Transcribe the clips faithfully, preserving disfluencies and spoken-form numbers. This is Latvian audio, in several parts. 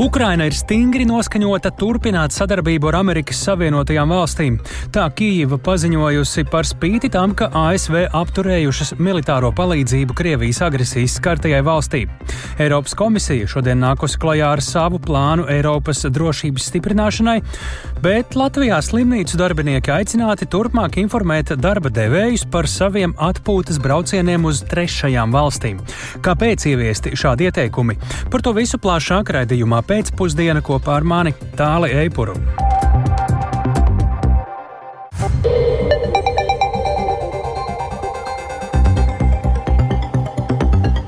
Ukraina ir stingri noskaņota turpināt sadarbību ar Amerikas Savienotajām valstīm. Tā Kijeva paziņojusi par spīti tam, ka A S V apturējušas militāro palīdzību Krievijas agresijas skartajai valstī. Eiropas komisija šodien nākusi klajā ar savu plānu Eiropas drošības stiprināšanai, bet Latvijā slimnīcu darbinieki aicināti turpmāk informēt darba devējus par saviem atpūtas braucieniem uz trešajām valstīm. Kāpēc ieviesti šādi ieteikumi? Par to visu plašāk raidījumā pēcpusdiena kopā ar mani Tāli Eipuru.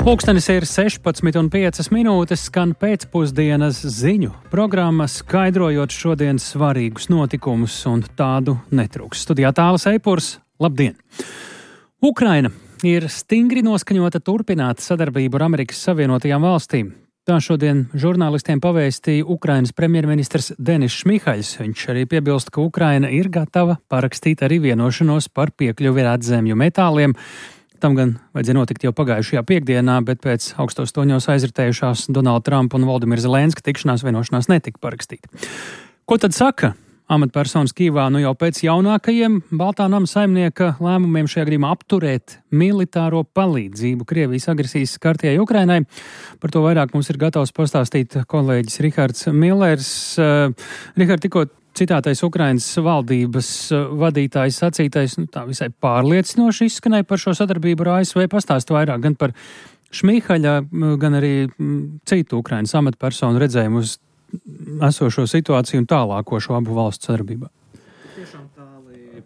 Pulkstenis ir sešpadsmit un piecas minūtes, skan pēcpusdienas ziņu programma, skaidrojot šodienas svarīgus notikumus, un tādu netrūks. Studijā Tālis Eipurs, labdien! Ukraina ir stingri noskaņota turpināt sadarbību ar Amerikas Savienotajām valstīm. Tā šodien žurnālistiem pavēstīja Ukrainas premjerministrs Denis Šmihaļs. Viņš arī piebilst, ka Ukraina ir gatava parakstīt arī vienošanos par piekļuvi redzemju metāliem. Tam gan vajadzēja notikt jau pagājušajā piekdienā, bet pēc augstos toņos aizritējušās Donalda Trumpa un Valdimira Zelenska tikšanās vienošanās netika parakstīta. Ko tad saka amatpersonas Kijevā nu jau pēc jaunākajiem Baltā nama saimnieka lēmumiem šajā gadījumā apturēt militāro palīdzību Krievijas agresijas skartajai Ukrainai? Par to vairāk mums ir gatavs pastāstīt kolēģis Rihards Millers. Uh, Rihard, tikko citātais Ukrainas valdības vadītājs sacītais, nu, tā visai pārliecinoši izskanēja par šo sadarbību ar A S V. Pastāst vairāk gan par Šmihaļa, gan arī citu Ukrainas amatpersonu redzējumu uz esošo situāciju un tālāko šo abu valstu sadarbībā. Tiešām tāli,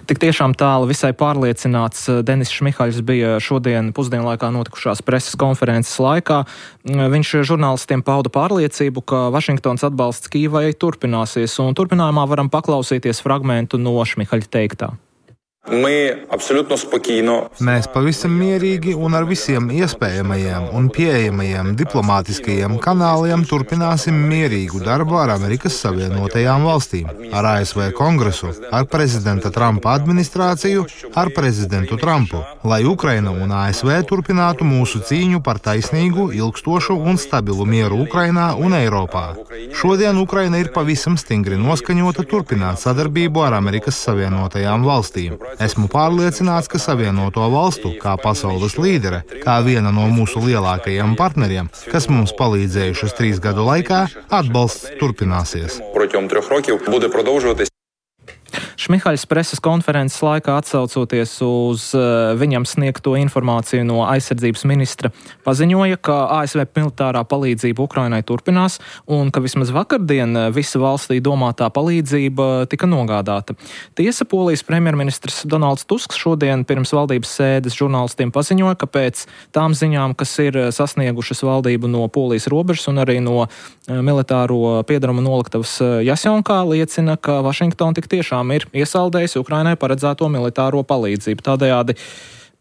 tik tiešām tāli visai pārliecināts Denis Šmihaļs bija šodien pusdienlaikā notikušās preses konferences laikā. Viņš žurnālistiem pauda pārliecību, ka Vašingtons atbalsts Kijevai turpināsies, un turpinājumā varam paklausīties fragmentu no Šmihaļa teiktā. Mēs pavisam mierīgi un ar visiem iespējamajiem un pieejamajiem diplomātiskajiem kanāliem turpināsim mierīgu darbu ar Amerikas Savienotajām valstīm, ar A S V Kongresu, ar prezidenta Trumpa administrāciju, ar prezidentu Trumpu, lai Ukraina un A S V turpinātu mūsu cīņu par taisnīgu, ilgstošu un stabilu mieru Ukrainā un Eiropā. Šodien Ukraina ir pavisam stingri noskaņota turpināt sadarbību ar Amerikas Savienotajām valstīm. Esmu pārliecināts, ka Savienoto valstu, kā pasaules līdere, kā viena no mūsu lielākajiem partneriem, kas mums palīdzējušas trīs gadu laikā, atbalsts turpināsies. Šmihaļs preses konferences laikā atsaucoties uz uh, viņam sniegto informāciju no aizsardzības ministra paziņoja, ka A S V militārā palīdzība Ukrainai turpinās un ka vismaz vakardien visa valstī domātā palīdzība tika nogādāta. Tiesa, Polijas premjerministrs Donalds Tusks šodien pirms valdības sēdes žurnālistiem paziņoja, ka pēc tām ziņām, kas ir sasniegušas valdību no Polijas robežas un arī no uh, militāro piedaruma noliktavas Jasjonkā, liecina, ka Vašingtona tik tiešām ir iesaldējusi Ukrainai paredzēto militāro palīdzību. Tādējādi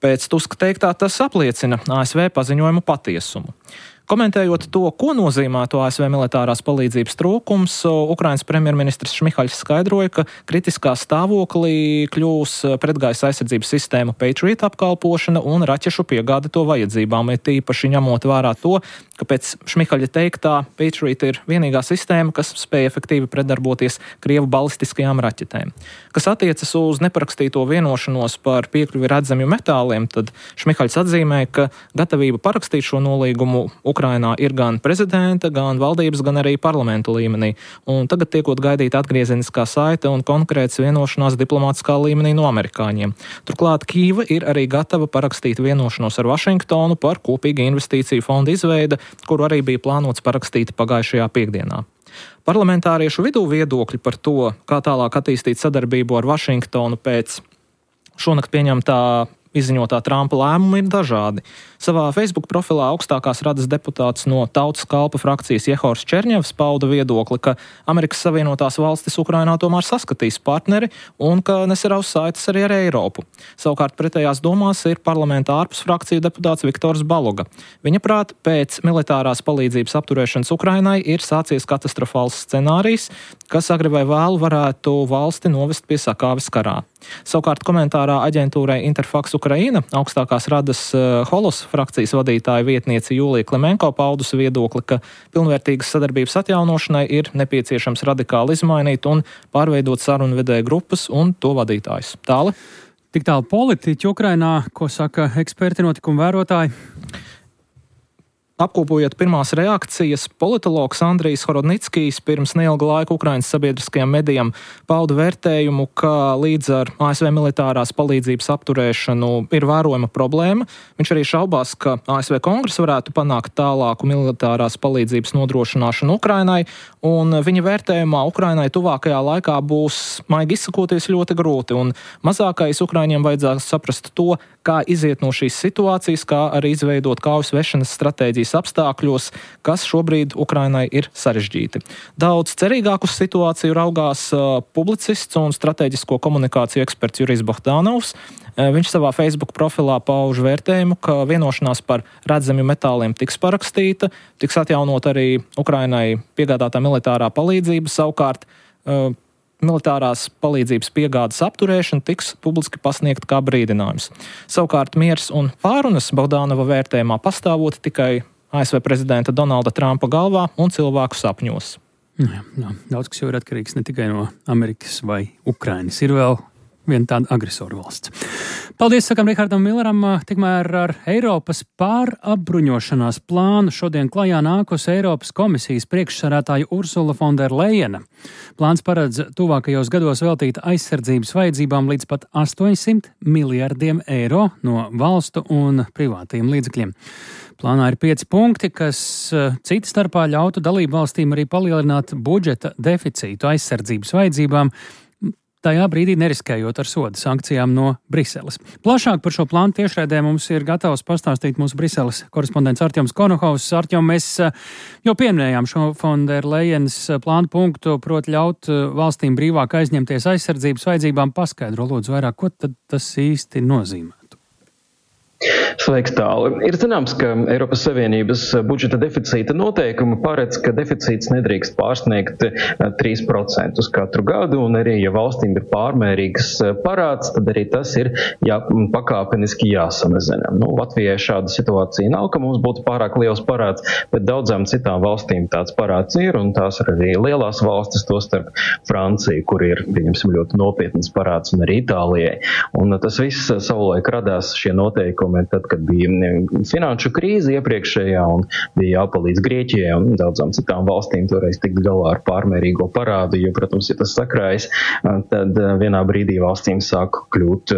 pēc Tuska teiktā tas apliecina A S V paziņojumu patiesumu. Komentējot to, ko nozīmētu A S V militārās palīdzības trūkums, Ukrainas premjerministrs Šmihaļs skaidroja, ka kritiskā stāvoklī kļūs pretgaisa aizsardzības sistēmu Patriot apkalpošana un raķešu piegāde to vajadzībām, ir tīpaši ņemot vērā to, ka pēc Šmihaļa teiktā Patriot ir vienīgā sistēma, kas spēj efektīvi pretdarboties Krievu balistiskajām raķetēm. Kas attiecas uz neparakstīto vienošanos par piekļuvi redzamju metāliem, tad Šmihaļs atzīmēja, ka gatavība parakstīt šo nolīgumu Ukrainā ir gan prezidenta, gan valdības, gan arī parlamentu līmenī. Un tagad tiekot gaidīt atgriezeniskā saite un konkrēts vienošanās diplomātiskā līmenī no amerikāņiem. Turklāt Kijeva ir arī gatava parakstīt vienošanos ar Vašingtonu par kopīgu investīciju fondu izveidi, kuru arī bija plānots parakstīt pagājušajā piekdienā. Parlamentāriešu vidū viedokļi par to, kā tālāk attīstīt sadarbību ar Vašingtonu pēc šonakt pieņemtā izziņotā Trumpa lēmuma ir dažādi. Savā Facebook profilā augstākās radas deputāts no Tautas kalpa frakcijas Jehors Čerņevs pauda viedokli, ka Amerikas Savienotās valstis Ukrainā tomēr saskatīs partneri un ka nesaraus saites arī ar Eiropu. Savukārt pretējās domās ir parlamenta ārpus frakciju deputāts Viktors Baloga. Viņa prāt, pēc militārās palīdzības apturēšanas Ukrainai ir sācies katastrofāls scenārijs, kas agri vai vēlu varētu valsti novest pie sakāves karā. Savukārt komentārā aģentūrai Interfax Ukraina augstākās radas Holos frakcijas vadītāja vietniece Jūlija Klemenko paudusi viedokli, ka pilnvērtīgas sadarbības atjaunošanai ir nepieciešams radikāli izmainīt un pārveidot sarunvedēju grupas un to vadītājus. Tāli? Tik tālu politiķi Ukrainā, ko saka eksperti, notikumu vērotāji? Apkopojot pirmās reakcijas, politologs Andrijs Horodnickijs pirms neilga laika Ukrainas sabiedriskajām medijām pauda vērtējumu, ka līdz ar A S V militārās palīdzības apturēšanu ir vērojama problēma. Viņš arī šaubās, ka A S V kongress varētu panākt tālāku militārās palīdzības nodrošināšanu Ukrainai, un viņa vērtējumā Ukrainai tuvākajā laikā būs, maigi izsakoties, ļoti grūti, un mazākais Ukraiņiem vajadzētu saprast to, kā iziet no šīs situācijas, kā arī izveidot kaujas vešanas stratēģijas apstākļos, kas šobrīd Ukrainai ir sarežģīti. Daudz cerīgāk uz situāciju raugās uh, publicists un strateģisko komunikāciju eksperts Jurijs Bohdanovs. Uh, viņš savā Facebook profilā pauž vērtējumu, ka vienošanās par redzamju metāliem tiks parakstīta, tiks atjaunot arī Ukrainai piegādātā militārā palīdzība, savukārt uh, militārās palīdzības piegādes apturēšana tiks publiski pasniegta kā brīdinājums. Savukārt miers un pārunas Bohdanova vērtējumā pastāvot tikai A S V prezidenta Donalda Trumpa galvā un cilvēku sapņos. Jā, jā, daudz kas jau ir atkarīgs ne tikai no Amerikas vai Ukrainas. Ir vēl viena tāda agresoru valsts. Paldies, sakam Rihardam Milleram. Tikmēr ar Eiropas pārapbruņošanās plānu šodien klajā nākusi Eiropas komisijas priekšsarētāja Ursula von der Leyena. Plāns paredz tuvākajos gados veltīt aizsardzības vajadzībām līdz pat astoņsimt miljardiem eiro no valstu un privātajiem līdzekļiem. Plānā ir pieci punkti, kas cita starpā ļautu dalību valstīm arī palielināt budžeta deficītu aizsardzības vajadzībām, tajā brīdī neriskējot ar soda sankcijām no Briseles. Plašāk par šo plānu tiešraidē mums ir gatavs pastāstīt mūsu Briseles korespondents Artjoms Konohovs. Artjom, mēs jau pieminējām šo von der Leyenas plānu punktu, proti ļaut valstīm brīvāk aizņemties aizsardzības vajadzībām. Paskaidro lūdzu vairāk, ko tad tas īsti nozīmē? Sveiks, Tāli. Ir zināms, ka Eiropas Savienības budžeta deficīta noteikumi paredz, ka deficīts nedrīkst pārsniegt trīs procentus katru gadu, un arī, ja valstīm ir pārmērīgs parāds, tad arī tas ir jā, pakāpeniski jāsamazina. Nu, Latvijai šāda situācija nav, ka mums būtu pārāk liels parāds, bet daudzām citām valstīm tāds parāds ir, un tās ir arī lielās valstis, tostarp Francija, kur ir, pieņemsim, ļoti nopietnas parāds, un arī Itālijai. Un tas viss savulaik radās šie noteikumi, tad, kad bija finanšu krīze iepriekšējā un bija jāpalīdz Grieķijai un daudzām citām valstīm toreiz tikt galā ar pārmērīgo parādu, jo, protams, ja tas sakrājas, tad vienā brīdī valstīm sāk kļūt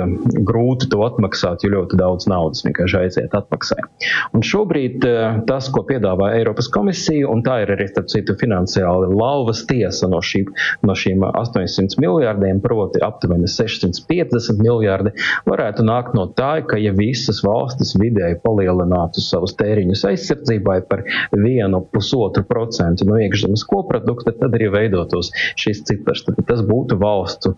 grūti to atmaksāt, jo ļoti daudz naudas vienkārši aiziet atmaksai. Un šobrīd tas, ko piedāvā Eiropas komisija, un tā ir arī, starp citu, finansiāli lauvas tiesa no, šī, no šīm astoņsimt miljārdiem, proti aptuveni sešsimt piecdesmit miljārdi, varētu nākt no tā, ka ja visas valstis vidēji palielinātu savus tēriņus aizsardzībai par vienu pusotru procentu no iekšzemes koprodukta, tad arī veidotos šis cipars. Tad tas būtu valstu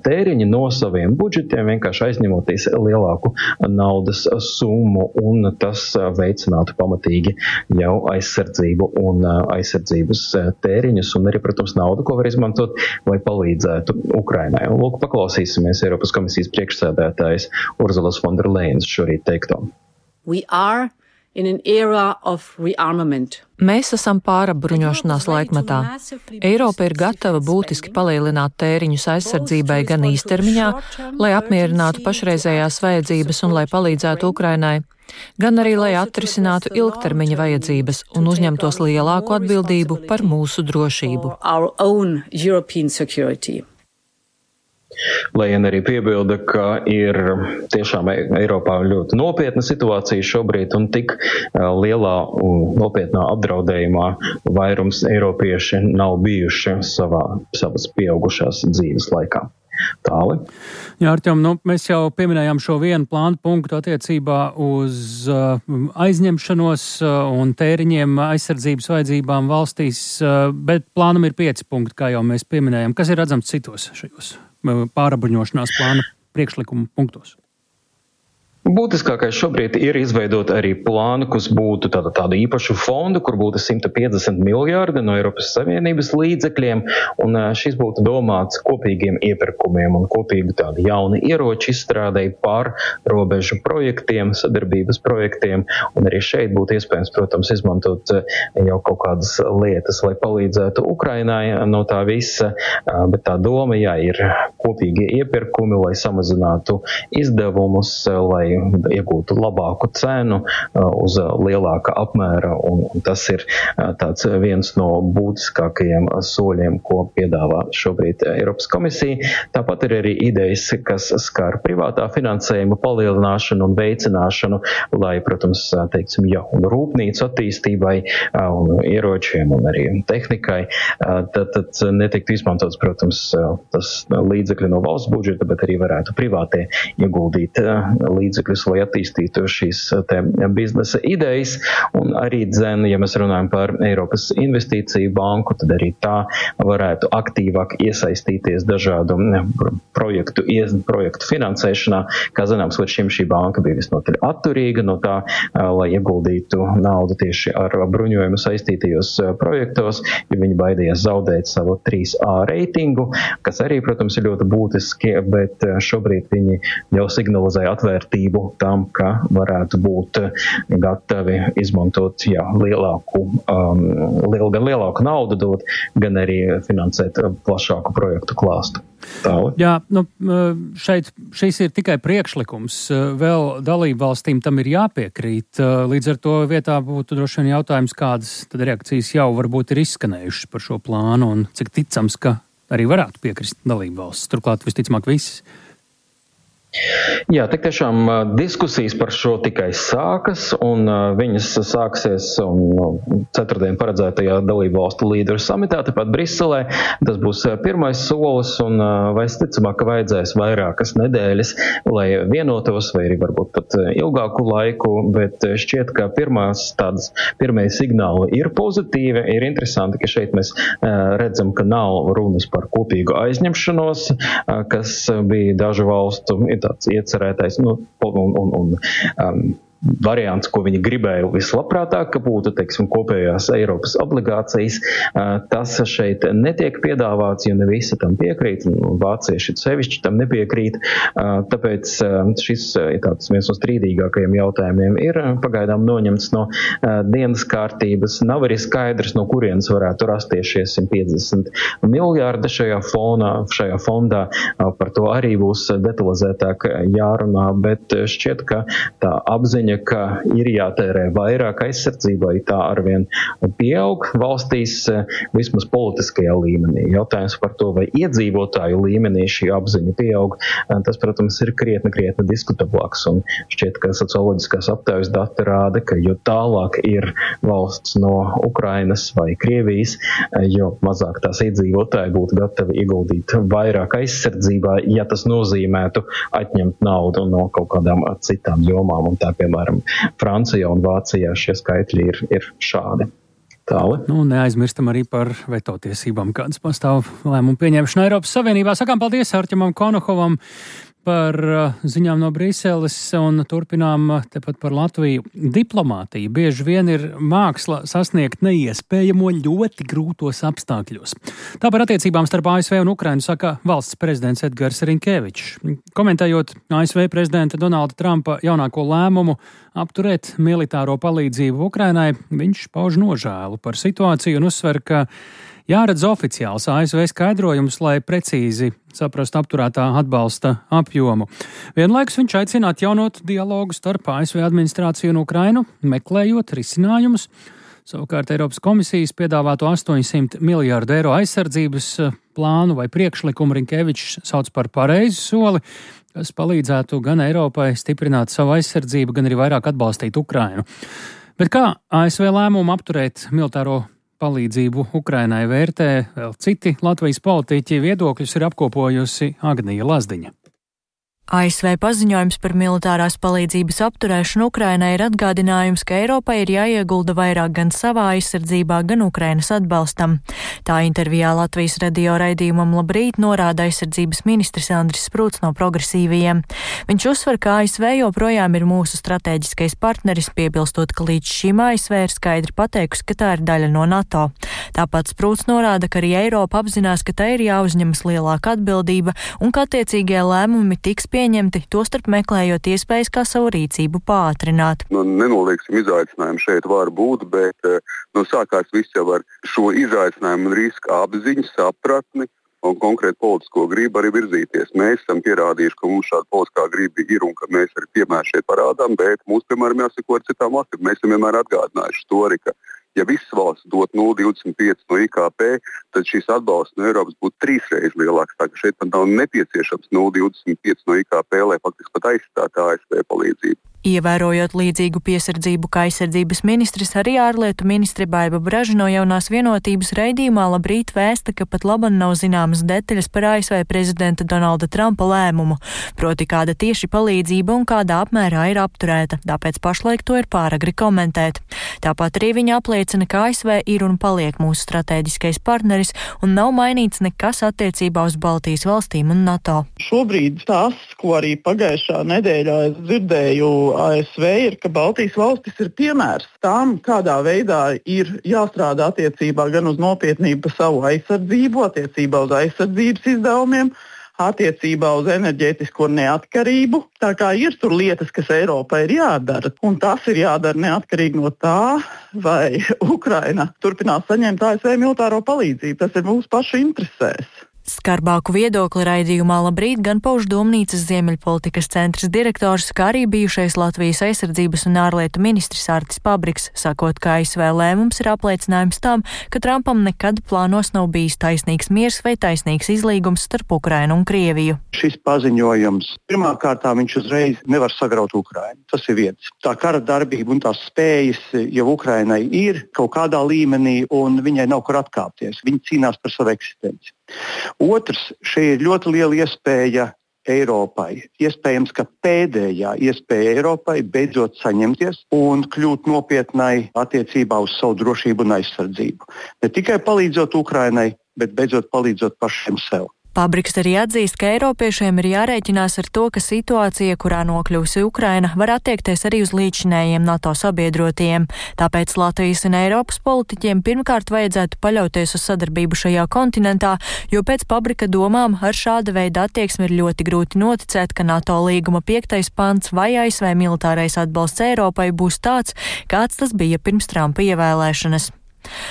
tēriņi no saviem budžetiem, vienkārši aizņemoties lielāku naudas summu, un tas veicinātu pamatīgi jau aizsardzību un aizsardzības tēriņus, un arī, protams, naudu, ko var izmantot, lai palīdzētu Ukrainai. Un lūk, paklausīsimies Eiropas komisijas priekšsēdētājas Ursulas von der Leyenas šorīt teikto. We are in an era of rearmament. Mēs esam pārapbruņošanās laikmetā. Eiropa ir gatava būtiski palielināt tēriņus aizsardzībai gan īstermiņā, lai apmierinātu pašreizējās vajadzības un lai palīdzētu Ukrainai, gan arī lai atrisinātu ilgtermiņa vajadzības un uzņemtos lielāku atbildību par mūsu drošību. Lejena arī piebilda, ka ir tiešām Eiropā ļoti nopietna situācija šobrīd, un tik lielā un nopietnā apdraudējumā vairums eiropieši nav bijuši savā, savas pieaugušās dzīves laikā. Tāli. Jā, Artjom, nu, mēs jau pieminējām šo vienu plānu punktu attiecībā uz uh, aizņemšanos uh, un tēriņiem aizsardzības vajadzībām valstīs, uh, bet plānam ir pieci punkti, kā jau mēs pieminējām. Kas ir redzams citos šajos uh, pārapbruņošanās plāna priekšlikumu punktos? Būtiskākais šobrīd ir izveidot arī plānu, kas būtu tāda, tādu īpašu fondu, kur būtu simts piecdesmit miljārdi no Eiropas Savienības līdzekļiem, un šis būtu domāts kopīgiem iepirkumiem un kopīgu tādu jaunu ieroču izstrādēju pār robežu projektiem, sadarbības projektiem, un arī šeit būtu iespējams, protams, izmantot jau kaut kādas lietas, lai palīdzētu Ukrainai no tā visa, bet tā doma, jā, ir kopīgie iepirkumi, lai samazinātu izdevumus, lai iegūtu labāku cenu uz lielāka apmēra, un, un tas ir tāds viens no būtiskākajiem soļiem, ko piedāvā šobrīd Eiropas komisija. Tāpat ir arī idejas, kas skar privātā finansējuma palielināšanu un veicināšanu, lai, protams, teiksim, jau rūpnīcu attīstībai un ieročiem un arī tehnikai, tad, tad netiktu izmantots, protams, tas līdzekļi no valsts budžeta, bet arī varētu privātie ieguldīt līdzekļus, lai attīstītu šīs te biznesa idejas, un arī dzen, ja mēs runājam par Eiropas investīciju banku, tad arī tā varētu aktīvāk iesaistīties dažādu projektu, projektu finansēšanā. Kā zināms, līdz šim šī banka bija visnotaļ atturīga no tā, lai ieguldītu naudu tieši ar bruņojumu saistītajos projektos, jo viņi baidījās zaudēt savu trīs A reitingu, kas arī, protams, ir ļoti būtiski, bet šobrīd viņi jau signalizēja atvērtību tam, ka varētu būt gatavi izmantot jā, lielāku, um, liel, gan lielāku naudu dot, gan arī finansēt plašāku projektu klāstu. Tāli. Jā, nu, šeit šis ir tikai priekšlikums. Vēl dalību valstīm tam ir jāpiekrīt. Līdz ar to vietā būtu droši vien jautājums, kādas tad reakcijas jau varbūt ir izskanējušas par šo plānu un cik ticams, ka arī varētu piekrist dalību valsts. Turklāt visticamāk visas. Jā, tik tiešām diskusijas par šo tikai sākas, un viņas sāksies un, ceturtdien paredzētajā dalību valstu līderu samitā, tepat Briselē. Tas būs pirmais solis, un visticamāk, ka vajadzēs vairākas nedēļas, lai vienotos, vai arī varbūt pat ilgāku laiku, bet šķiet, ka pirmās tādas, pirmie signāli ir pozitīvi. Ir interesanti, ka šeit mēs redzam, ka nav runas par kopīgu aizņemšanos, kas bija dažu valstu tāds iecerētais, nu, un, un, un um, variants, ko viņi gribēja vislabprātāk, ka būtu, teiksim, kopējās Eiropas obligācijas. Tas šeit netiek piedāvāts, jo ne visi tam piekrīt, un vācieši sevišķi tam nepiekrīt. Tāpēc šis tāds viens no strīdīgākajiem jautājumiem ir pagaidām noņemts no dienas kārtības. Nav arī skaidrs, no kurienes varētu rasties šie simt piecdesmit miljārdi šajā fonā, šajā fondā. Par to arī būs detalizētāk jārunā, bet šķiet, ka tā apziņa, ka ir jātērē vairāk aizsardzībai, tā arvien pieaug valstīs, vismaz politiskajā līmenī. Jautājums par to, vai iedzīvotāju līmenī šī apziņa pieaug, tas, protams, ir krietni, krietni diskutablāks. Un šķiet, ka socioloģiskās aptaujas dati rāda, ka jo tālāk ir valsts no Ukrainas vai Krievijas, jo mazāk tās iedzīvotāji būtu gatavi ieguldīt vairāk aizsardzībā, ja tas nozīmētu atņemt naudu no kaut kādām citām jomām. Un tā, piemēram, Francijā un Vācijā šie skaitļi ir, ir šādi. Tāli. Nu, neaizmirstam arī par veto tiesībām, kādas pastāv lēmumu pieņemšanu Eiropas Savienībā. Sakām paldies Arķemam Konohovam par ziņām no Briseles un turpinām tepat par Latviju. Diplomātija bieži vien ir māksla sasniegt neiespējamo ļoti grūtos apstākļos. Tā par attiecībām starp A S V un Ukrainu saka valsts prezidents Edgars Rinkevičs. Komentējot A S V prezidenta Donalda Trumpa jaunāko lēmumu apturēt militāro palīdzību Ukrainai, viņš pauž nožēlu par situāciju un uzsver, ka jāredz oficiāls A S V skaidrojums, lai precīzi saprastu apturētā atbalsta apjomu. Vienlaikus viņš aicina atjaunot dialogu starp A S V administrāciju un Ukrainu, meklējot risinājumus. Savukārt Eiropas komisijas piedāvāto astoņsimt miljārdu eiro aizsardzības plānu vai priekšlikumu Rinkevičs sauc par pareizu soli, kas palīdzētu gan Eiropai stiprināt savu aizsardzību, gan arī vairāk atbalstīt Ukrainu. Bet kā A S V lēmumu apturēt militāro palīdzību Ukrainai vērtē vēl citi Latvijas politiķi, viedokļus ir apkopojusi Agnija Lazdiņa. A S V paziņojums par militārās palīdzības apturēšanu Ukrainai ir atgādinājums, ka Eiropai ir jāiegulda vairāk gan savā aizsardzībā, gan Ukrainas atbalstam. Tā intervijā Latvijas radio raidījumam Labrīt norāda aizsardzības ministrs Andris Sprūts no Progresīvajiem. Viņš uzsver, ka A S V joprojām ir mūsu strateģiskais partneris, piebilstot, ka līdz šim A S V ir skaidri pateikusi, ka tā ir daļa no NATO. Tāpat Sprūts norāda, ka arī Eiropa apzinās, ka tai ir jāuzņemas lielāka atbildība un ka attiecīgie lēmumi tiks pieņemti, tostarp meklējot iespējas, kā savu rīcību pātrināt. Nu, nenolieksim, izaicinājumu šeit var būt, bet nu, sākās viss jau ar šo izaicinājumu un risku apziņu, sapratni un konkrēti politisko gribu arī virzīties. Mēs esam pierādījuši, ka mums šāda politiskā griba ir un ka mēs arī piemēram šeit parādām, bet mums, piemēram, jāsako ar citām valstīm. Mēs esam vienmēr atgādinājuši to arī, ka ja visas valsts dot nulle virgulē divdesmit pieci no I K P, tad šīs atbalsts no Eiropas būtu trīs reizes lielāks. Tā ka šeit pat nav nepieciešams nulle virgulē divdesmit pieci no I K P, lai faktiski pat aizstātu A S V palīdzību. Ievērojot līdzīgu piesardzību kā aizsardzības ministrs, arī ārlietu ministre Baiba Braža no Jaunās vienotības raidījumā Labrīt vēsta, ka pat laban nav zināmas detaļas par A S V prezidenta Donalda Trumpa lēmumu, proti kāda tieši palīdzība un kādā apmērā ir apturēta, tāpēc pašlaik to ir pāragri komentēt. Tāpat arī viņa apliecina, ka A S V ir un paliek mūsu strateģiskais partneris un nav mainīts nekas attiecībā uz Baltijas valstīm un NATO. Šobrīd tas, ko arī pagājušā nedēļā es dzirdēju A S V, ir, ka Baltijas valstis ir piemērs tam, kādā veidā ir jāstrādā attiecībā gan uz nopietnību par savu aizsardzību, attiecībā uz aizsardzības izdevumiem, attiecībā uz enerģētisko neatkarību. Tā kā ir tur lietas, kas Eiropai ir jādara, un tas ir jādara neatkarīgi no tā, vai Ukraina turpinās saņemt A S V militāro palīdzību. Tas ir mūsu pašu interesēs. Skarbāku viedokli raidījumā Labrīt gan pauž Domnīcas Ziemeļpolitikas centrs direktors, kā arī bijušais Latvijas aizsardzības un ārlietu ministrs Artis Pabriks, sakot, ka A S V lēmums ir apliecinājums tam, ka Trumpam nekad plānos nav bijis taisnīgs miers vai taisnīgs izlīgums starp Ukrainu un Krieviju. Šis paziņojums pirmkārt viņš uzreiz nevar sagraut Ukrainu. Tas ir viens. Tā kara darbība un tās spējas jau Ukrainai ir kaut kādā līmenī un viņai nav kur atkāpties. Viņa cīnās par savu eksistenci. Otrs, šeit ir ļoti liela iespēja Eiropai. Iespējams, ka pēdējā iespēja Eiropai beidzot saņemties un kļūt nopietnai attiecībā uz savu drošību un aizsardzību. Ne tikai palīdzot Ukrainai, bet beidzot palīdzot pašiem sev. Pabriks arī atzīst, ka eiropiešiem ir jārēķinās ar to, ka situācija, kurā nokļūsi Ukraina, var attiekties arī uz līdzinējiem NATO sabiedrotajiem. Tāpēc Latvijas un Eiropas politiķiem pirmkārt vajadzētu paļauties uz sadarbību šajā kontinentā, jo pēc Pabrika domām ar šāda veida attieksmi ir ļoti grūti noticēt, ka NATO līguma piektais pants vai A S V militārais atbalsts Eiropai būs tāds, kāds tas bija pirms Trumpa ievēlēšanas.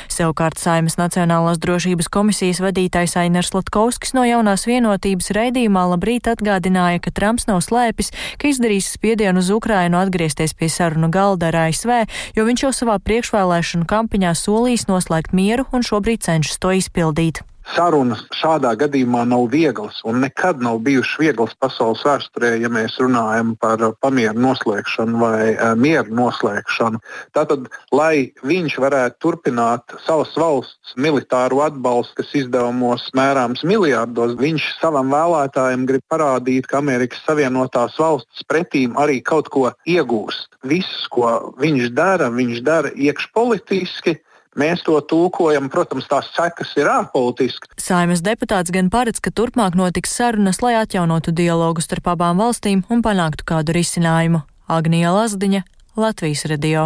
Savukārt Saeimas Nacionālās drošības komisijas vadītājs Ainars Latkovskis no Jaunās vienotības raidījumā Labrīt atgādināja, ka Trumps nav slēpis, ka izdarīs spiedienu uz Ukrainu atgriezties pie sarunu galda ar A S V, jo viņš jau savā priekšvēlēšanu kampaņā solījis noslēgt mieru un šobrīd cenšas to izpildīt. Sarunas šādā gadījumā nav vieglas un nekad nav bijušas vieglas pasaules vēsturē, ja mēs runājam par pamieru noslēgšanu vai uh, mieru noslēgšanu. Tātad, lai viņš varētu turpināt savas valsts militāru atbalstu, kas izdevumos mērāms miljārdos, viņš savam vēlētājiem grib parādīt, ka Amerikas Savienotās valstis pretīm arī kaut ko iegūst. Viss, ko viņš dara, viņš dara iekšpolitiski. Mēs to tulkojam, protams, tās sekas ir ārpolitiski. Saeimas deputāts gan paredz, ka turpmāk notiks sarunas, lai atjaunotu dialogu starp abām valstīm un panāktu kādu risinājumu. Agnija Lazdiņa, Latvijas radio.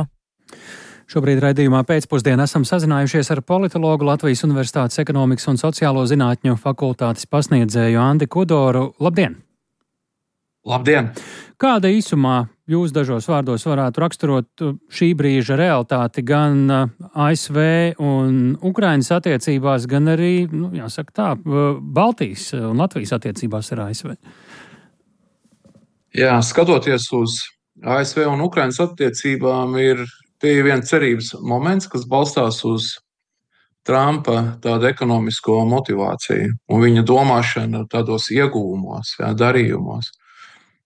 Šobrīd raidījumā pēcpusdienā esam sazinājušies ar politologu Latvijas Universitātes ekonomikas un sociālo zinātņu fakultātes pasniedzēju Andi Kudoru. Labdien! Labdien! Kāda īsumā jūs dažos vārdos varētu raksturot šī brīža realitāti gan A S V un Ukrainas attiecībās, gan arī, nu, jāsaka tā, Baltijas un Latvijas attiecībās ar A S V? Jā, skatoties uz A S V un Ukrainas attiecībām, ir tie viens cerības moments, kas balstās uz Trumpa tādu ekonomisko motivāciju un viņa domāšanu tādos ieguvumos, jā, darījumos.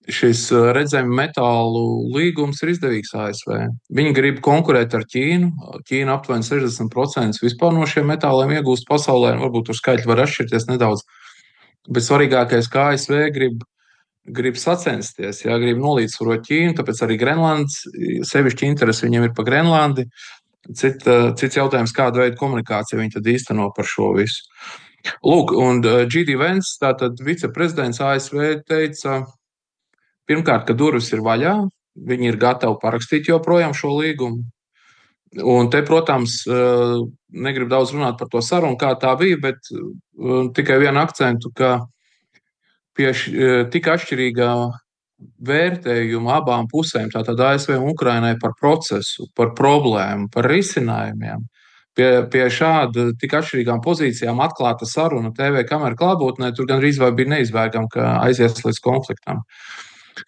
Šis redzējuma metālu līgums ir izdevīgs A S V. Viņi grib konkurēt ar Ķīnu. Ķīna aptuveni sešdesmit procenti vispār no šiem metāliem iegūst pasaulē. Varbūt tur skaitļi var atšķirties nedaudz. Bet svarīgākais, ka A S V grib grib sacensties, jā, grib nolīdzsvarot Ķīnu, tāpēc arī Grenlandes, sevišķi interesi viņiem ir par Grenlandi. Cit, cits jautājums, kādu veidu komunikāciju viņi tad īsteno par šo visu. Lūk, un G D Vance, tātad viceprezidents A S V, teica, pirmkārt, ka durvis ir vaļā, viņi ir gatavi parakstīt joprojām šo līgumu. Un te, protams, negribu daudz runāt par to sarunu, kā tā bija, bet tikai vienu akcentu, ka pie tik atšķirīgā vērtējuma abām pusēm, tātad A S V un Ukrainai par procesu, par problēmu, par risinājumiem, pie, pie šāda tik atšķirīgām pozīcijām atklāta saruna T V kameru klātbūtnē, tur gandrīz vai bija neizbēgama, ka aizies līdz konfliktam.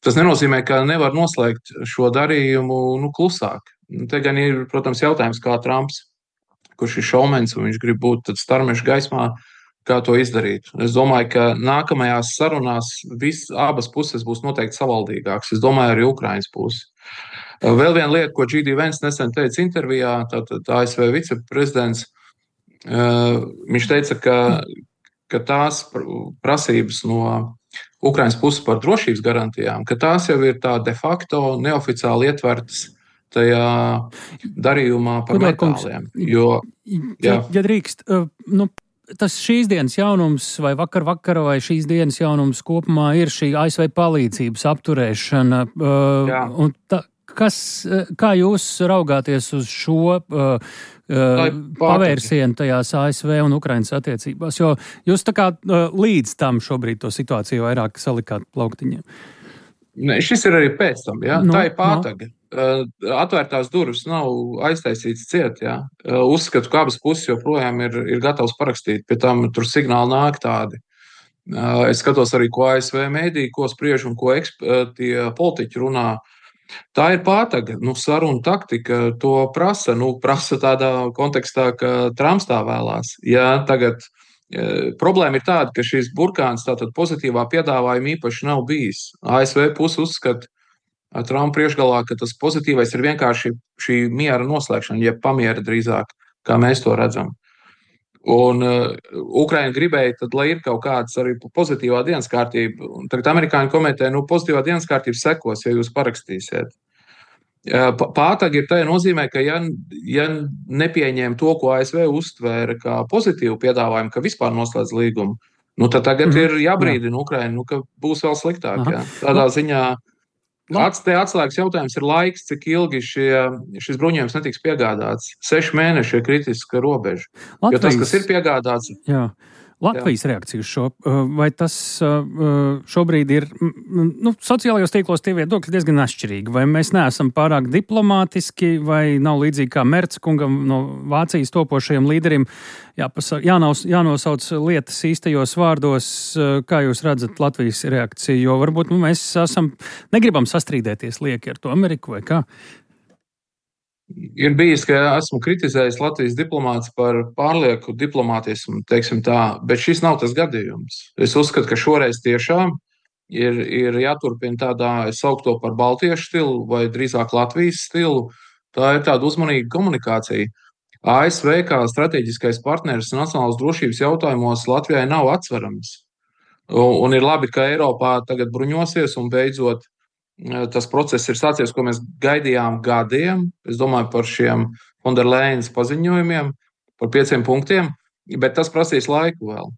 Tas nenozīmē, ka nevar noslēgt šo darījumu nu, klusāk. Te gan ir, protams, jautājums, kā Trumps, kurš ir šaumens un viņš grib būt tad starmešu gaismā, kā to izdarīt. Es domāju, ka nākamajās sarunās vis, abas puses būs noteikti savaldīgāks. Es domāju, arī Ukrainas puses. Vēl viena lieta, ko G D Vance nesen teica intervijā, tātad A S V viceprezidents, viņš teica, ka, ka tās prasības no Ukrainas puses par drošības garantijām, ka tās jau ir tā de facto neoficiāli ietvertas tajā darījumā par metāliem. Jo, ja, ja drīkst, nu, tas šīs dienas jaunums vai vakar vakara vai šīs dienas jaunums kopumā ir šī A S V palīdzības apturēšana. Jā. Un ta, kas, kā jūs raugāties uz šo pavērsienu tajās A S V un Ukrainas attiecībās? Jo jūs tā kā līdz tam šobrīd to situāciju vairāk salikāt plauktiņiem. Ne, šis ir arī pēc tam, jā. No, tā ir pātaga. No. Atvērtās durvis nav aiztaisīts ciet, jā. Uzskatu, ka abas puses joprojām ir, ir gatavs parakstīt, pie tam tur signāli nāk tādi. Es skatos arī, ko A S V mēdī, ko spriež un ko eksp- tie politiķi runā. Tā ir pātaga, nu, saruna taktika, to prasa, nu, prasa tādā kontekstā, ka Trumps tā vēlās. Jā, tagad problēma ir tāda, ka šīs burkāns tātad pozitīvā piedāvājuma īpaši nav bijis. A S V puse uzskata Trumpa priekšgalā, ka tas pozitīvais ir vienkārši šī miera noslēgšana, jeb pamiera drīzāk, kā mēs to redzam. Un uh, Ukraina gribēja, tad, lai ir kaut kāds arī pozitīvā dienas kārtība. Un tagad amerikāņi komentē, nu, pozitīvā dienas kārtība sekos, ja jūs parakstīsiet. Pātagi ir tajā nozīmē, ka ja, ja nepieņem to, ko A S V uztvēra kā pozitīvu piedāvājumu, ka vispār noslēdz līgumu, nu tad tagad mm-hmm. ir jābrīdina Ukraina, nu, ka būs vēl sliktāk. Jā. Tādā ziņā ats, te atslēgas jautājums ir laiks, cik ilgi šie, šis bruņojums netiks piegādāts. Seši mēneši ir kritiska robeža. Latvijas... Jo tas, kas ir piegādāts... Jā. Latvijas Jā. reakcija uz šo, vai tas šobrīd ir, nu, sociālajos tīklos tie viedokļi diezgan atšķirīgi, vai mēs neesam pārāk diplomātiski, vai nav līdzīgi kā Merca kungam no Vācijas topošajiem līderim, jāpasa, jānos, jānosauc lietas īstajos vārdos, kā jūs redzat Latvijas reakciju, jo varbūt nu, mēs esam, negribam sastrīdēties lieki ar to Ameriku vai kā? Ir bijis, ka esmu kritizējis Latvijas diplomāts par pārlieku diplomātismu, teiksim tā, bet šis nav tas gadījums. Es uzskatu, ka šoreiz tiešām ir, ir jāturpina tādā, es sauktu to par baltiešu stilu vai drīzāk Latvijas stilu. Tā ir tāda uzmanīga komunikācija. A S V kā strateģiskais partneris nacionālas drošības jautājumos Latvijai nav atsverams. Un, un ir labi, ka Eiropā tagad bruņosies un beidzot tas process ir sācies, ko mēs gaidījām gadiem. Es domāju par šiem Fonderleinas paziņojumiem, par pieciem punktiem, bet tas prasīs laiku vēl.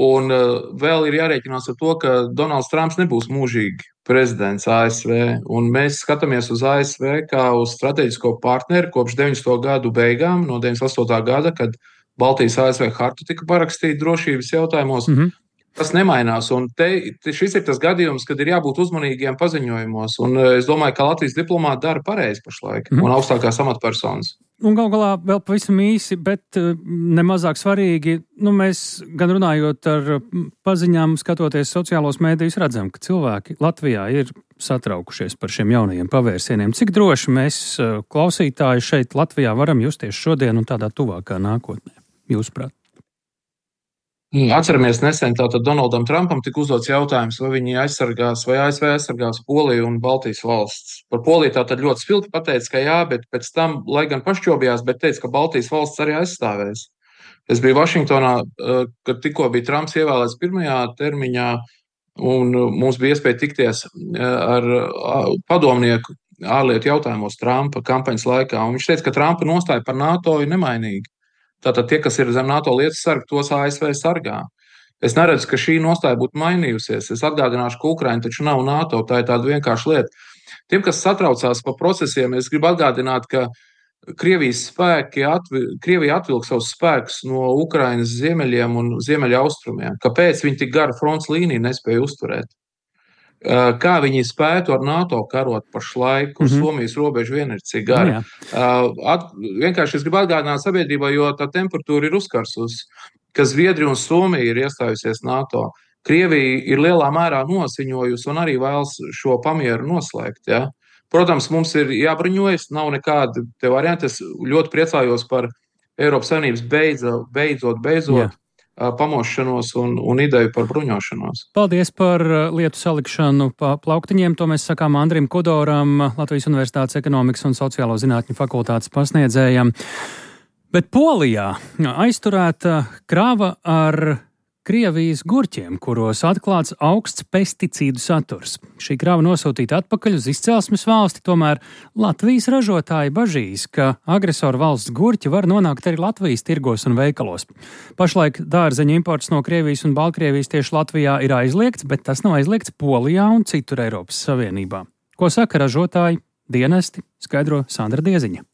Un uh, vēl ir jārēķinās ar to, ka Donalds Trumps nebūs mūžīgi prezidents A S V. Un mēs skatāmies uz A S V kā uz strateģisko partneri kopš deviņdesmito gadu beigām, no deviņdesmit astotā gada, kad Baltijas A S V harta tika parakstīta drošības jautājumos. Mm-hmm. Tas nemainās, un te, te šis ir tas gadījums, kad ir jābūt uzmanīgiem paziņojumos, un es domāju, ka Latvijas diplomāti dara pareizi pašlaik, mm. un augstākās amatpersonas. Un gal galā vēl pavisam īsi, bet nemazāk svarīgi, nu mēs gan runājot ar paziņām, skatoties sociālos mēdījus, redzam, ka cilvēki Latvijā ir satraukušies par šiem jaunajiem pavērsieniem. Cik droši mēs klausītāji šeit Latvijā varam justies šodien un tādā tuvākā nākotnē, jūsuprāt? Atceramies nesen, tātad Donaldam Trumpam tika uzdots jautājums, vai viņi aizsargās, vai A S V aizsargās Poliju un Baltijas valsts. Par Poliju tātad ļoti spilgti pateica, ka jā, bet pēc tam, lai gan pašķobījās, bet teica, ka Baltijas valsts arī aizstāvēs. Es biju Vašingtonā, kad tikko bija Trumps ievēlēts pirmajā termiņā, un mums bija iespēja tikties ar padomnieku ārlietu jautājumos Trumpa kampaņas laikā. Un viņš teica, ka Trumpa nostāja par NATO ir nemainīga. Tātad tie, kas ir zem NATO lietas sarga, tos A S V sargā. Es neredzu, ka šī nostāja būtu mainījusies. Es atgādināšu, ka Ukraina taču nav NATO, tā ir tāda vienkārša lieta. Tiem, kas satraucās par procesiem, es gribu atgādināt, ka Krievijas spēki, atvi, Krievija atvilka savus spēkus no Ukrainas ziemeļiem un ziemeļa austrumiem. Kāpēc viņi tik garu fronts līniju nespēja uzturēt? Kā viņi spētu ar NATO karot pašlaik, uz mm-hmm. Somijas robežu vien ir cik gara. At, vienkārši es gribu atgādināt sabiedrībai, jo tā temperatūra ir uzkarsusi, ka Zviedrija un Somija ir iestājusies NATO. Krievija ir lielā mērā nosiņojusi un arī vēlas šo pamieru noslēgt, ja? Protams, mums ir jābruņojas, nav nekāda te varianti. Es ļoti priecājos par Eiropas Savienības beidzot, beidzot, beidzot Jā. pamošanos un, un ideju par bruņošanos. Paldies par lietu salikšanu pa plauktiņiem. To mēs sakām Andrim Kudoram, Latvijas Universitātes ekonomikas un sociālo zinātņu fakultātes pasniedzējam. Bet Polijā aizturēta krava ar Krievijas gurķiem, kuros atklāts augsts pesticīdu saturs. Šī krava nosūtīta atpakaļ uz izcelsmes valsti, tomēr Latvijas ražotāji bažīs, ka agresoru valsts gurķi var nonākt arī Latvijas tirgos un veikalos. Pašlaik dārzeņu imports no Krievijas un Baltkrievijas tieši Latvijā ir aizliegts, bet tas nav aizliegts Polijā un citur Eiropas Savienībā. Ko saka ražotāji, dienesti, skaidro Sandra Dieziņa.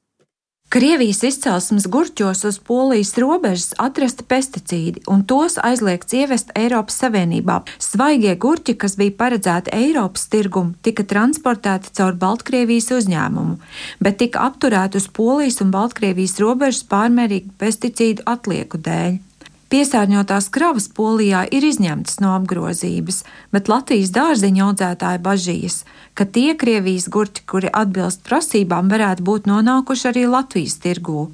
Krievijas izcelsmes gurķos uz Polijas robežas atrasti pesticīdi, un tos aizliegts ievest Eiropas Savienībā. Svaigie gurķi, kas bija paredzēti Eiropas tirgumu, tika transportēti caur Baltkrievijas uzņēmumu, bet tika apturēti uz Polijas un Baltkrievijas robežas pārmērīgu pesticīdu atlieku dēļ. Piesārņotās kravas Polijā ir izņemtas no apgrozības, bet Latvijas dārzeņu audzētāji bažīs, ka tie Krievijas gurķi, kuri atbilst prasībām, varētu būt nonākuši arī Latvijas tirgū.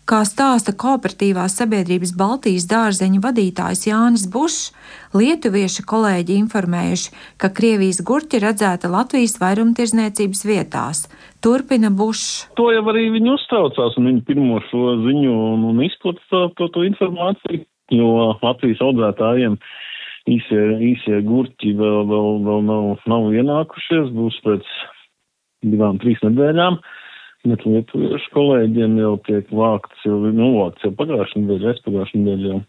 Kā stāsta kooperatīvās sabiedrības Baltijas dārzeņu vadītājs Jānis Bušs, lietuvieši kolēģi informējuši, ka Krievijas gurķi redzēta Latvijas vairumtirdzniecības vietās. Turpina Bušs. To jau arī viņi uztraucās, un viņi pirmo šo ziņu un, un izplata to, to, to informāciju, jo Latvijas audzētājiem īsie, īsie gurķi vēl, vēl, vēl nav, nav ienākušies, būs pēc divām, trīs nedēļām. Bet lietuviešu kolēģiem jau tiek vākts, jau, nu, vākts jau pagājušajā nedēļā, es pagājušajā nedēļā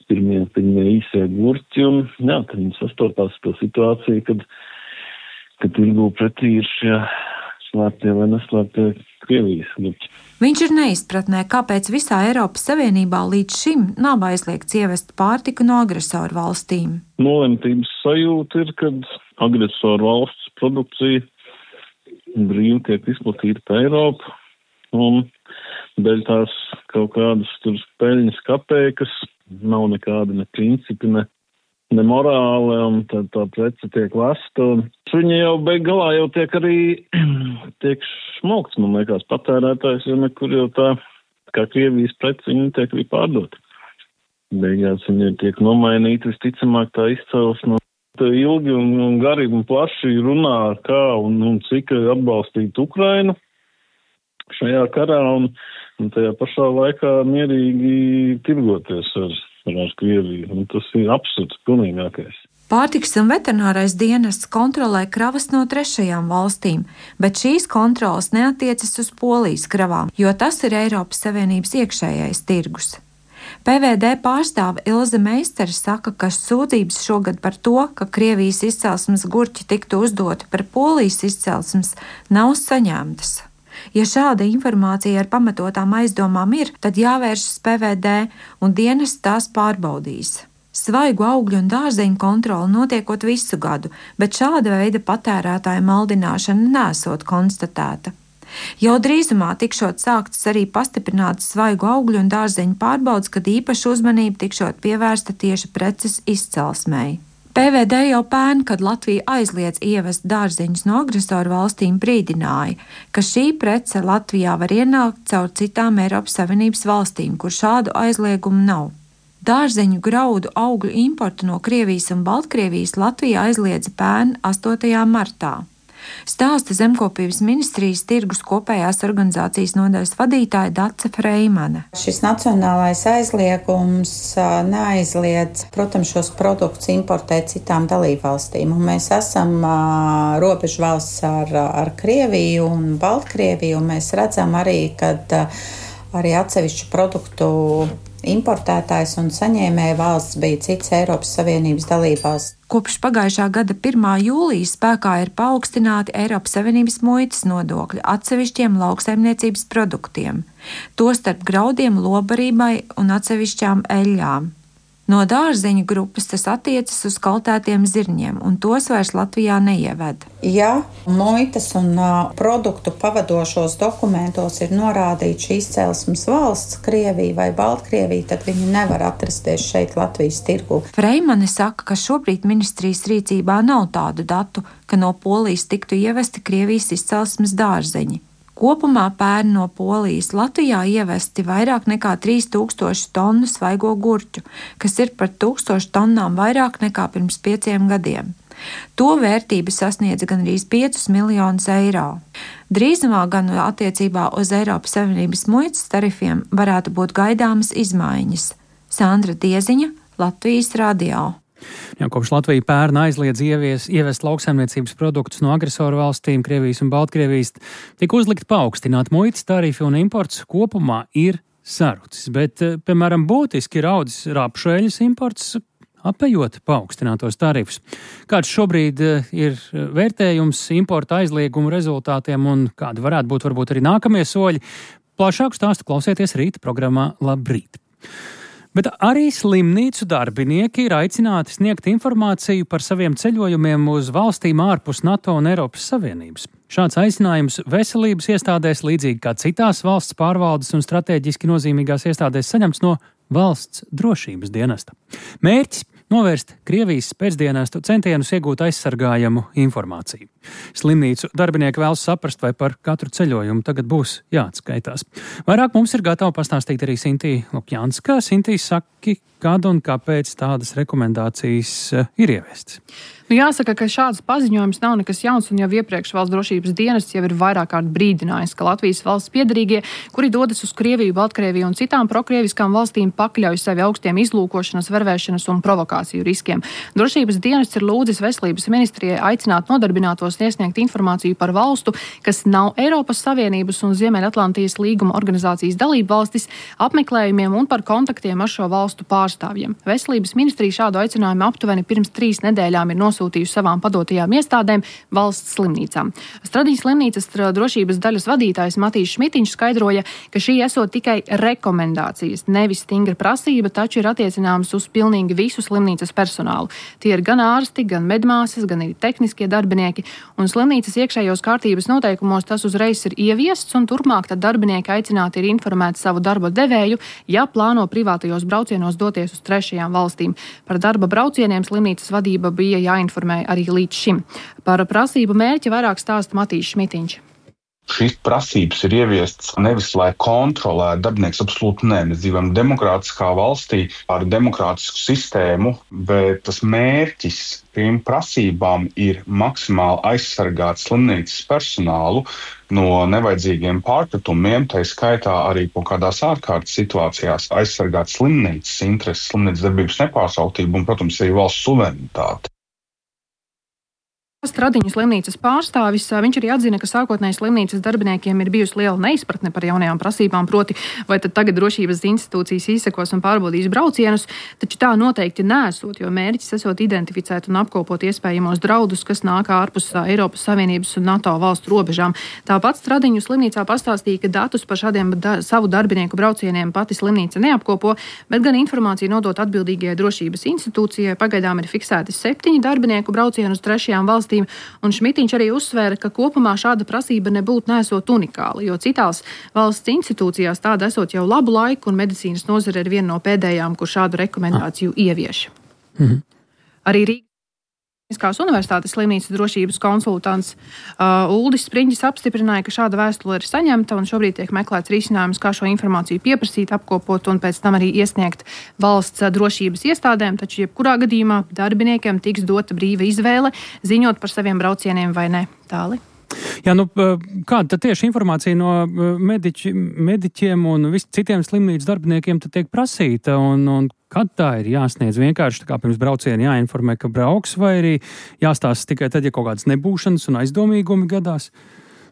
pirmie, pirmie īsie gurķi, un jā, tad viņi sastopās to situāciju, kad, kad tirgū pretī ir šie slēptie vai neslēptie Krievijas gurķi. Viņš ir neizpratnē, kāpēc visā Eiropas Savienībā līdz šim nav aizliegts ievest pārtiku no agresoru valstīm. Nolemtības sajūta ir, kad agresoru valsts produkcija brīvi tiek izplatīta pa Eiropu, un dēļ tās kaut kādas tur peļņas kapēkas nav nekāda ne principi, ne, ne morāle, un tad tā prece tiek lasta. Viņa jau beig galā jau tiek arī tiek šmokts, man liekas, patērētājs, jo nekur jau tā, kā Krievijas prece, viņa tiek arī pārdota. Beigās viņa tiek nomainīta, visticamāk tā izcelsme. Ilgi un, un gari un plaši runā, kā un, un cik atbalstīt Ukrainu šajā karā, un, un tajā pašā laikā mierīgi tirgoties ar, ar Krieviju. Un tas ir absurds pilnīgākais. Pārtikas un veterinārais dienests kontrolē kravas no trešajām valstīm, bet šīs kontrolas neatiecas uz Polijas kravām, jo tas ir Eiropas Savienības iekšējais tirgus. P V D pārstāve Ilze Meistere saka, ka sūdzības šogad par to, ka Krievijas izcelsmes gurķi tiktu uzdoti par Polijas izcelsmes, nav saņemtas. Ja šāda informācija ar pamatotām aizdomām ir, tad jāvēršas P V D un dienests tās pārbaudīs. Svaigu augļu un dārzeņu kontrole notiekot visu gadu, bet šāda veida patērētāju maldināšana nesot konstatēta. Jau drīzumā tikšot sāktas arī pastiprinātas svaigu augļu un dārzeņu pārbaudas, kad īpaša uzmanība tikšot pievērsta tieši preces izcelsmei. P V D jau pērn, kad Latvija aizliedz ievest dārzeņus no agresoru valstīm, brīdināja, ka šī prece Latvijā var ienākt caur citām Eiropas Savienības valstīm, kur šādu aizliegumu nav. Dārzeņu, graudu, augļu importu no Krievijas un Baltkrievijas Latvija aizliedza pērn astotajā martā. Stāsta Zemkopības ministrijas tirgus kopējās organizācijas nodaļas vadītāja Dace Freimane. Šis nacionālais aizliegums neaizliedz, protams, šos produktus importēt citām dalībvalstīm. Un mēs esam uh, robežu valsts ar, ar Krieviju un Baltkrieviju, un mēs redzam arī, ka uh, arī atsevišķu produktu importētājs un saņēmēja valsts bija cits Eiropas Savienības dalībvalsts. Kopš pagājušā gada pirmā jūlija spēkā ir paaugstināti Eiropas Savienības muitas nodokļi atsevišķiem lauksaimniecības produktiem, tostarp graudiem, lobarībai un atsevišķām eļļām. No dārzeņu grupas tas attiecas uz kaltētiem zirņiem, un tos vairs Latvijā neieved. Ja muitas un uh, produktu pavadošos dokumentos ir norādīts šī izcelsmes valsts, Krievija vai Baltkrievija, tad viņi nevar atrasties šeit Latvijas tirgu. Freimane saka, ka šobrīd ministrijas rīcībā nav tādu datu, ka no Polijas tiktu ievesti Krievijas izcelsmes dārzeņi. Kopumā pērn no Polijas Latvijā ievesti vairāk nekā trīs tūkstoši tonu svaigo gurķu, kas ir par tūkstošu tonnām vairāk nekā pirms pieciem gadiem. To vērtība sasniedz gandrīz piecus miljonus eiro. Drīzumā gan attiecībā uz Eiropas Savienības muitas tarifiem varētu būt gaidāmas izmaiņas. Sandra Dieziņa, Latvijas radio. Jā, kopš Latvija pērn aizliedz ievies, ievest lauksaimniecības produktus no agresoru valstīm, Krievijas un Baltkrievijas, tika uzlikt paaugstināt muitas tarifi un imports kopumā ir sarucis. Bet, piemēram, būtiski ir audzis rapšeļas imports, apējot paaugstinātos tarifus. Kāds šobrīd ir vērtējums importa aizliegumu rezultātiem un kādi varētu būt varbūt arī nākamie soļi? Plašāku stāstu klausieties rīta programmā Labrīt. Bet arī slimnīcu darbinieki ir aicināti sniegt informāciju par saviem ceļojumiem uz valstīm ārpus NATO un Eiropas Savienības. Šāds aicinājums veselības iestādēs, līdzīgi kā citās valsts pārvaldes un strateģiski nozīmīgās iestādēs, saņemts no valsts drošības dienesta. Mērķis – novērst Krievijas spēcdienestu centienus iegūt aizsargājamu informāciju. Slimnīcu darbinieki vēlas saprast, vai par katru ceļojumu tagad būs jāatskaitās. Vairāk mums ir gatava pastāstīt arī Sintija Lukjanska. Sintija, saki, kad un kāpēc tādas rekomendācijas ir ieviestas? Nu, jāsaka, ka šāds paziņojums nav nekas jauns, un jau iepriekš valsts drošības dienests jau ir vairāk kārt brīdinājis, ka Latvijas valsts piederīgie, kuri dodas uz Krieviju, Baltkrieviju un citām prokrieviskām valstīm, pakļauj sevi augstiem izlūkošanas, vervēšanas un provokāciju riskiem. Drošības dienests ir lūdzis veselības ministrijai aicināt nodarbinātos iesniegt informāciju par valstu, kas nav Eiropas Savienības un Ziemeļatlantijas līguma organizācijas dalību valstis, apmeklējumiem un par kontaktiem ar šo valstu pārstāvjiem. Veselības ministrija šādu aicinājumu aptuveni pirms trīs nedēļām ir nosūtījusi savām padotajām iestādēm valsts slimnīcām. Stradīņas slimnīcas drošības daļas vadītājs Matīs Šmitiņš skaidroja, ka šī esot tikai rekomendācijas, nevis stingra prasība, taču ir attiecināmas uz pilnīgi visu slimnīcas personālu. Tie ir gan ārsti, gan medmāsas, gan arī tehniskie darbinieki, un slimnīcas iekšējos kārtības noteikumos tas uzreiz ir ieviests, un turpmāk tad darbinieki aicināti ir informēt savu darba devēju, ja plāno privātajos braucienos doties uz trešajām valstīm. Par darba braucieniem slimnīcas vadība bija jāinformē arī līdz šim. Par prasību mērķi vairāk stāsta Matīs Šmitiņš. Šīs prasības ir ieviestas nevis, lai kontrolētu darbinieks, absolūti nē. Mēs dzīvojam demokrātiskā valstī ar demokrātisku sistēmu, bet tas mērķis tiem prasībām ir maksimāli aizsargāt slimnīcas personālu no nevajadzīgiem pārpratumiem, tā skaitā arī kaut kādās ārkārtas situācijās aizsargāt slimnīcas intereses, slimnīcas darbības nepārtrauktību un, protams, arī valsts suverenitāti. Stradiņu slimnīcas pārstāvis, viņš arī atzina, ka sākotnēji slimnīcas darbiniekiem ir bijusi liela neizpratne par jaunajām prasībām, proti, vai tad tagad drošības institūcijas izsekos un pārbaudīs braucienus, taču tā noteikti nesot, jo mērķis esot identificēt un apkopot iespējamos draudus, kas nāk ārpus Eiropas Savienības un NATO valstu robežām. Tāpat Stradiņu slimnīcā pastāstīja, ka datus par šādiem da- savu darbinieku braucieniem pati slimnīca neapkopo, bet gan informāciju nodot atbildīgajai drošības institūcijai. Pagaidām ir fiksēti septiņi darbinieku braucienu uz trešajām valstīm. Un Šmitiņš arī uzsvēra, ka kopumā šāda prasība nebūtu nesot unikāla, jo citās valsts institūcijās tāda esot jau labu laiku, un medicīnas nozare ir viena no pēdējām, kur šādu rekomendāciju ievieš. Mhm. Arī Rīga Tehniskās universitātes slimnīcas drošības konsultants uh, Uldis Spriņģis apstiprināja, ka šāda vēstule ir saņemta un šobrīd tiek meklēts risinājums, kā šo informāciju pieprasīt, apkopot un pēc tam arī iesniegt valsts drošības iestādēm, taču jebkurā gadījumā darbiniekiem tiks dota brīva izvēle ziņot par saviem braucieniem vai ne. Tāli. Jā, nu, kāda tad tieši informācija no mediķi, mediķiem un vis citiem slimnīcas darbiniekiem tad tiek prasīta un, un kad tā ir jāsniedz vienkārši tā kā pirms brauciena jāinformē, ka brauks, vai arī jāstāsta tikai tad, ja kaut kādas nebūšanas un aizdomīgumi gadās?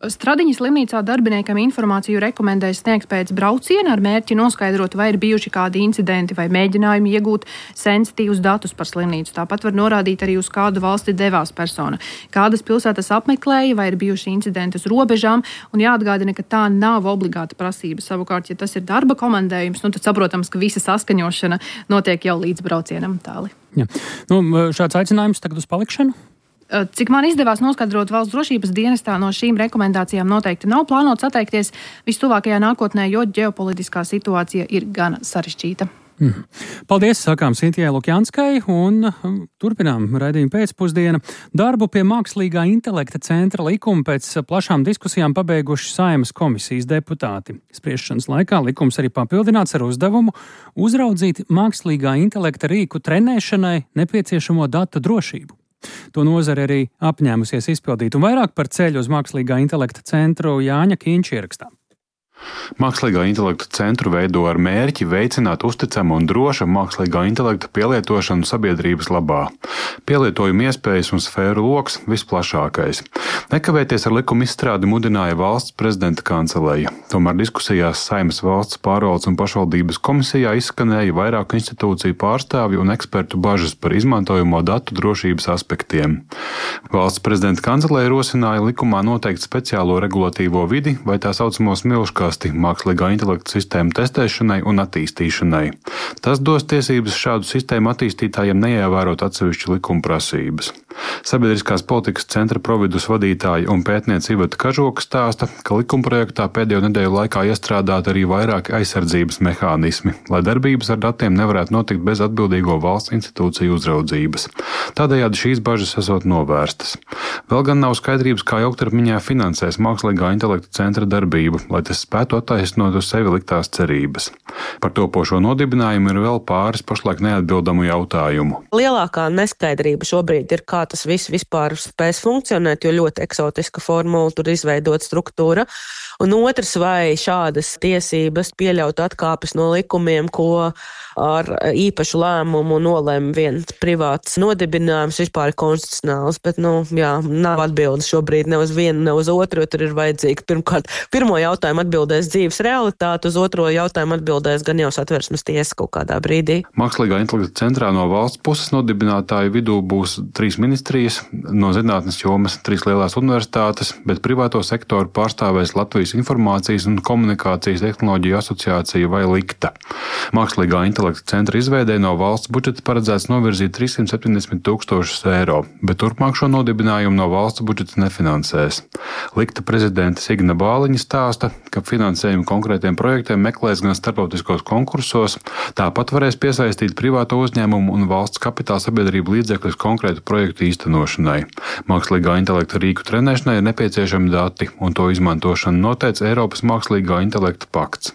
Stradiņas slimnīcā darbiniekam informāciju rekomendēja sniegt pēc brauciena ar mērķi noskaidrot, vai ir bijuši kādi incidenti vai mēģinājumi iegūt sensitīvus datus par slimnīcu. Tāpat var norādīt arī uz kādu valsti devās persona, kādas pilsētas apmeklēja, vai ir bijuši incidenti uz robežām, un jāatgādina, ka tā nav obligāta prasība. Savukārt, ja tas ir darba komandējums, nu, tad saprotams, ka visa saskaņošana notiek jau līdz braucienam tāli. Jā. Nu, šāds aicinājums tagad uz palikšanu? Cik man izdevās noskaidrot valsts drošības dienestā, no šīm rekomendācijām noteikti nav plānots atteikties vistuvākajā nākotnē, jo ģeopolitiskā situācija ir gan sarežģīta. Mm. Paldies, sakām Sintijai Lukjanskai, un turpinām raidījumu pēcpusdiena. Darbu pie mākslīgā intelekta centra likuma pēc plašām diskusijām pabeiguši Saeimas komisijas deputāti. Spriešanas laikā likums arī papildināts ar uzdevumu uzraudzīt mākslīgā intelekta rīku trenēšanai nepieciešamo datu drošību. To nozare arī apņēmusies izpildīt, un vairāk par ceļu uz mākslīgā intelekta centru Jāņa Kīņš ierakstā. Mākslīgā intelekta centru veido ar mērķi veicināt uzticamu un drošu mākslīgā intelekta pielietošanu sabiedrības labā. Pielietojuma iespējas un sfēru loks visplašākais. Nekavēties ar likuma izstrādi mudināja valsts prezidenta kanceleja. Tomēr diskusijās Saeimas valsts pārvaldes un pašvaldības komisijā izskanēja vairāku institūciju pārstāvju un ekspertu bažas par izmantojamo datu drošības aspektiem. Valsts prezidenta kanceleja rosināja likumā noteikt speciālo regulatīvo vidi vai tā saucamo smilškās mākslīgā intelekta sistēmu testēšanai un attīstīšanai. Tas dos tiesības šādu sistēmu attīstītājiem neievērot atsevišķu likuma prasības. Sabiedriskās politikas centra providus vadītāja un pētniece Iveta Kažoka stāsta, ka likumprojektā pēdējo nedēļu laikā iestrādāti arī vairāki aizsardzības mehānismi, lai darbības ar datiem nevarētu notikt bez atbildīgo valsts institūciju uzraudzības. Tādējādi šīs bažas esot novērstas. Vēl gan nav skaidrības, kā ilgtermiņā finansēs mākslīgā intelekta centra darbību, lai tas spētu attaisnot uz sevi liktās cerības. Par topošo nodibinājumu ir vēl pāris pašlaik neatbildamu jautājumu. Lielākā neskaidrība šobrīd ir, kā tas viss vispār spēs funkcionēt, jo ļoti eksotiska formula tur izveidot struktūra. Un otrs, vai šādas tiesības pieļaut atkāpes no likumiem, ko ar īpašu lēmumu nolēma viens privāts nodibinājums, vispār ir konstitucionāls, bet, nu, jā, nav atbildes šobrīd ne uz vienu, ne uz otru, jo tur ir vajadzīga pirmkārt, pirmo jautājumu atbildēs dzīves realitāte, uz otro jautājumu atbildēs gan jau Satversmes tiesa kaut kādā brīdī. Mākslīgā intelekta centrā no valsts puses nodibinātāju vidū būs trīs ministrijas, no zinātnes jomas trīs lielās universitātes, bet privāto sektoru pārstāvēs Latvijas Informācijas un komunikācijas tehnoloģiju asociācija vai Likta. Mākslīgā intelekta centra izveidē no valsts budžeta paredzēts novirzīt trīssimt septiņdesmit tūkstošus eiro, bet turpmāk šo nodibinājumu no valsts budžeta nefinansēs. Likta prezidente Signa Bāliņa stāsta, ka finansējumu konkrētiem projektiem meklēs gan starptautiskos konkursos, tāpat varēs piesaistīt privāto uzņēmumu un valsts kapitāla sabiedrību līdzekļus konkrētu projektu īstenošanai. Mākslīgā intelekta rīku trenēšanai ir nepieciešami dati, un to izmantošanu noteica Eiropas mākslīgā intelekta pakts.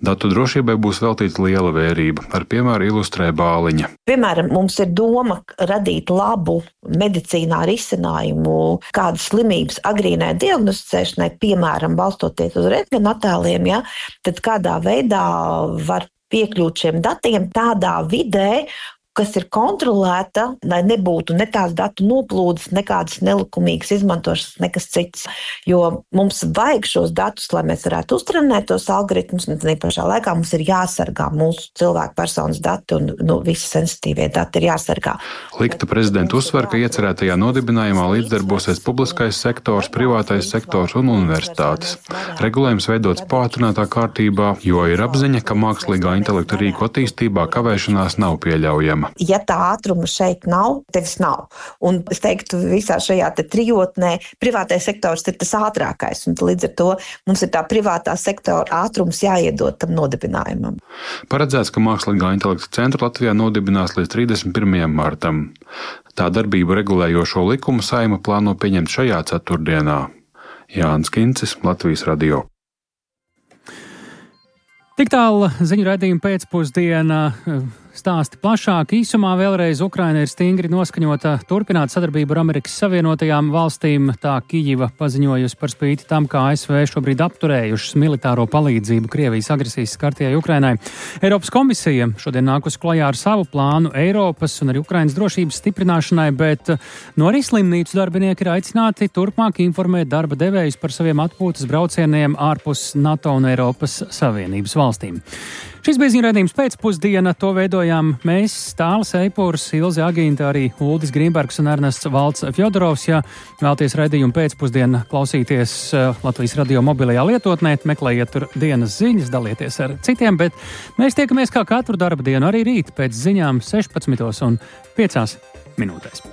Datu drošībai būs veltīta liela vērība, ar piemēru ilustrē Bāliņa. Piemēram, mums ir doma radīt labu medicīnā risinājumu kādas slimības agrīnai diagnosticēšanai, piemēram, balstoties uz rentgenattēliem, ja, tad kādā veidā var piekļūt šiem datiem tādā vidē, kas ir kontrolēta, lai nebūtu ne tās datu noplūdes, nekādas nelikumīgas izmantošanas, nekas cits. Jo mums vajag šos datus, lai mēs varētu uztrenēt tos algoritmus, un tā pašā laikā mums ir jāsargā mūsu cilvēku personas dati, un nu, visi sensitīvie dati ir jāsargā. Likta prezidenta uzsver, ka iecerētajā nodibinājumā līdzdarbosies publiskais sektors, privātais sektors un universitātes. Regulējums veidots pātrinātā kārtībā, jo ir apziņa, ka mākslīgā intelekta rīku attīstībā kavēšanās nav pieļaujama. Ja tā ātruma šeit nav, tevis nav. Un es teiktu, visā šajā te trijotnē privātais sektors ir tas ātrākais, un līdz ar to mums ir tā privātā sektora ātrums jāiedod tam Tā darbību regulējošo likumu Saeima plāno pieņemt šajā ceturtdienā. Jānis Kincis, Latvijas radio. Tik tālu ziņu raidījuma pēcpusdienā. Stāsti plašāk. Īsumā vēlreiz Ukraina ir stingri noskaņota turpināt sadarbību ar Amerikas Savienotajām valstīm. Tā Kijiva paziņojusi par spīti tam, kā A S V šobrīd apturējušas militāro palīdzību Krievijas agresijas skartajai Ukrainai. Eiropas komisija šodien nākusi klajā ar savu plānu Eiropas un arī Ukrainas drošības stiprināšanai, bet no arī slimnīcu darbinieki ir aicināti turpmāk informēt darba devējus par saviem atpūtas braucieniem ārpus NATO un Eiropas Savienības valstīm. Šis bija ziņu raidījums pēcpusdiena, to veidojām mēs, Tālis Eipurs, Ilze Agīnta, arī Uldis Grīnbergs un Ernests Valds Fjodorovs. Ja vēlties raidījumu pēcpusdienu klausīties Latvijas radio mobilajā lietotnē, meklējiet tur dienas ziņas, dalieties ar citiem, bet mēs tiekamies kā katru darba dienu arī rīt pēc ziņām sešpadsmitos un piecās minūtēs.